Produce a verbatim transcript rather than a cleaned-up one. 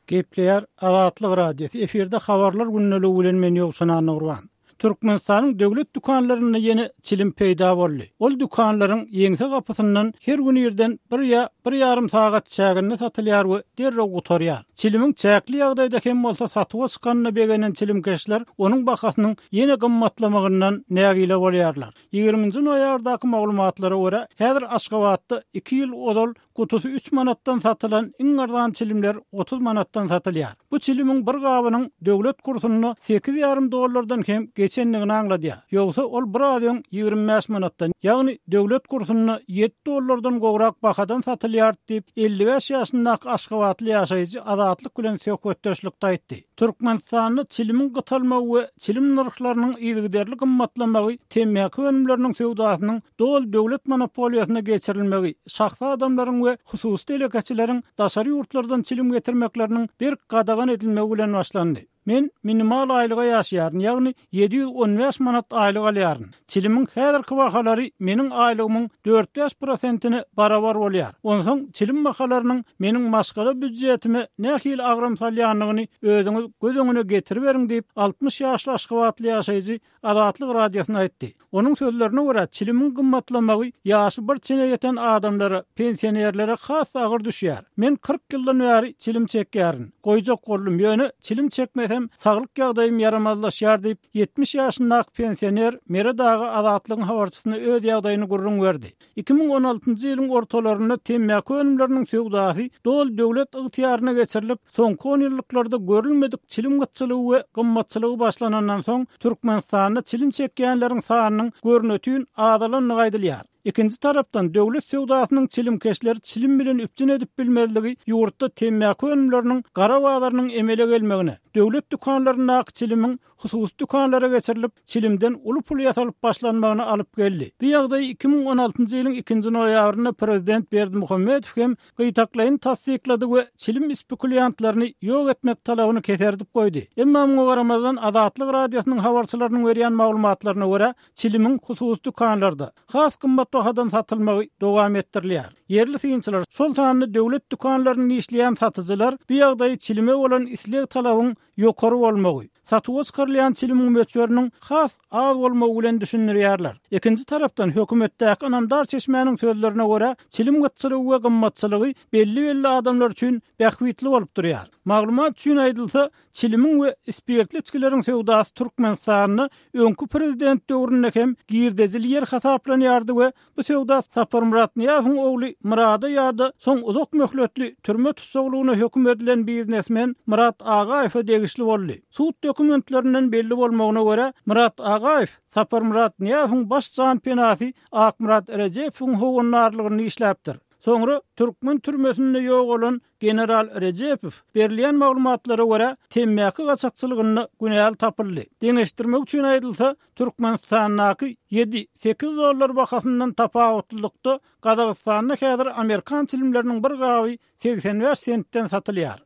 Gepleýär Azatlyk Radiosy efirde habarlar gündeligi bilen men Ýowşan Annagurban. Türkmenistanyň döwlet dükanlarynda ýene çilim peýda boldy. Ol dükanlaryň ýeňse gapysyndan her gün irden bir ýa bir ýarym sagat çäginde satylýar we derrew gutarýar. Çilimiň çäkli ýagdaýda hem bolsa satuwa çykanyna begenen çilimkeşler onuň bahasynyň ýene gymmatlamagyndan nägile bolýarlar. Ýigriminji noýabrdaky maglumatlara görä, häzir Aşgabatda iki ýyl ozal gutusy üç manatdan satylan iň arzan çilimler otuz manatdan satylýar. Bu çilimiň bir gabynyň döwlet kursunda sekiz ýarym dollardan hem geçendigini aňladýar. Ýogsa ol bir az öň ýigrimi bäş manatdan, ýagny döwlet kursunda ýedi dollardan gowrak bahadan satylýar diýip, elli bäş ýaşyndaky Aşgabatly ýaşaýjy Azatlyk bilen söhbetdeşlikde aýtdy. Türkmenistanda çilimiň gytalmagy we çilim nyrhlarynyň yzygiderli gymmatlamagy temmäki önümleriniň söwdasynyň doly döwlet monopoliýasyna geçirilmegi, şahsy adamlaryň we hususy telekeçileriň daşary ýurtlardan çilim getirmekleriniň berk gadagan edilmegi bilen başlandy. Men minimal aýlyga ýaşaýaryn, ýagny ýedi ýüz on bäş manat aýlyk alýaryn. Çilimiň häzirki bahalary meniň aýlygymyň dört bäş prosentine barabar bolýar. Onsoň çilim bahalarynyň meniň maşgala býudjetime nähili agram salýandygyny özüňiz göz öňüne getiriberiň diýip, altmyş ýaşly Aşgabatly ýaşaýjy Azatlyk Radiosyna aýtdy. Onuň sözlerine görä, çilimiň gymmatlamagy ýaşy bir çene ýeten adamlara, pensionerlere has agyr düşýär. Men kyrk ýyldan bäri çilim çekýärin. Goýjak boldum, ýöne çilim çekmesem saglyk ýagdaýym ýaramazlaşýar diýip, ýetmiş ýaşyndaky pensioner Meret aga Azatlygyň habarçysyna öz ýagdaýyny gürrüň berdi. Iki müň on altynjy ýylyň ortalarynda temmäki önümleriniň söwdasy doly döwlet ygtyýaryna geçirilip, soňky on ýyllyklarda görülmedik çilim gytçylygy we gymmatçylygy başlanandan soň Türkmenistanda çilim çekýänleriň sanynyň görnütün azalandygy aýdylýar. Ikinji tarapdan döwlet söwdasynyň çilimkeşleri çilim bilen üpjün edip bilmezligi ýurtda temmäki önümleriniň gara bazarynyň emele gelmegine, döwlet dükanlaryndaky çilimiň hususy dükanlara geçirilip, çilimden uly pul ýasalyp başlanmagyna alyp geldi. Bu ýagdaý iki müň on altynjy ýylyň ikinji noýabrynda prezident Berdimuhamedow hem gytaklaýyn tassyklady we çilim spekulýantlaryny ýok etmek talabyny keserdip goýdy. Emma muňa garamazdan Azatlyk Radiosynyň habarçylarynyň berýän maglumatlaryna görä, çilimiň hususy dükanlarda has gymmat bahadan satylmagy dowam etdirilýär. Ýerli synçylar, şol sanda döwlet dükanlarynda işleýän satyjylar bu ýagdaýy çilime bolan isleg talabyň ýokary bolmagy, satuwa çykarylýan çilimiň möçberiniň has az bolmagy bilen düşündirýärler. Ikinji tarapdan hökümetdäki ynamdar çeşmäniň sözlerine görä, çilim gytçylygy we gymmatçylygy belli-belli adamlar üçin bähbitli bolup durýar. Maglumat üçin aýdylsa, çilimiň we spirtli içgileriň söwdasy Türkmenistanda öňki prezident döwründe hem girdejili ýer hasaplanýardy we bu söwda Saparmyrat Nyýazowyň ogly Murada ýa-da soň uzak möhletli türme tussaglygyna höküm edilen biznesmen Murat Agaýewe degişli boldy. Sud dokumentlerinden belli bolmagyna görä, Murat Agaýew Saparmyrat Nyýazowyň baş jan penasy Akmyrat Rejepowyň howandarlygyny işläpdir. Soňra türkmen türmesinde ýogalan general Rejepow berilýän maglumatlara görä temmäki gaçakçylygynda günäli tapyldy. Deňeşdirmek üçin aýdylsa, Türkmenistandaky ýedi sekiz dollar bahasyndan tapawutlylykda Gazagystanda häzir Amerikan çilimleriniň bir gaby segsen bäş sentden satylýar.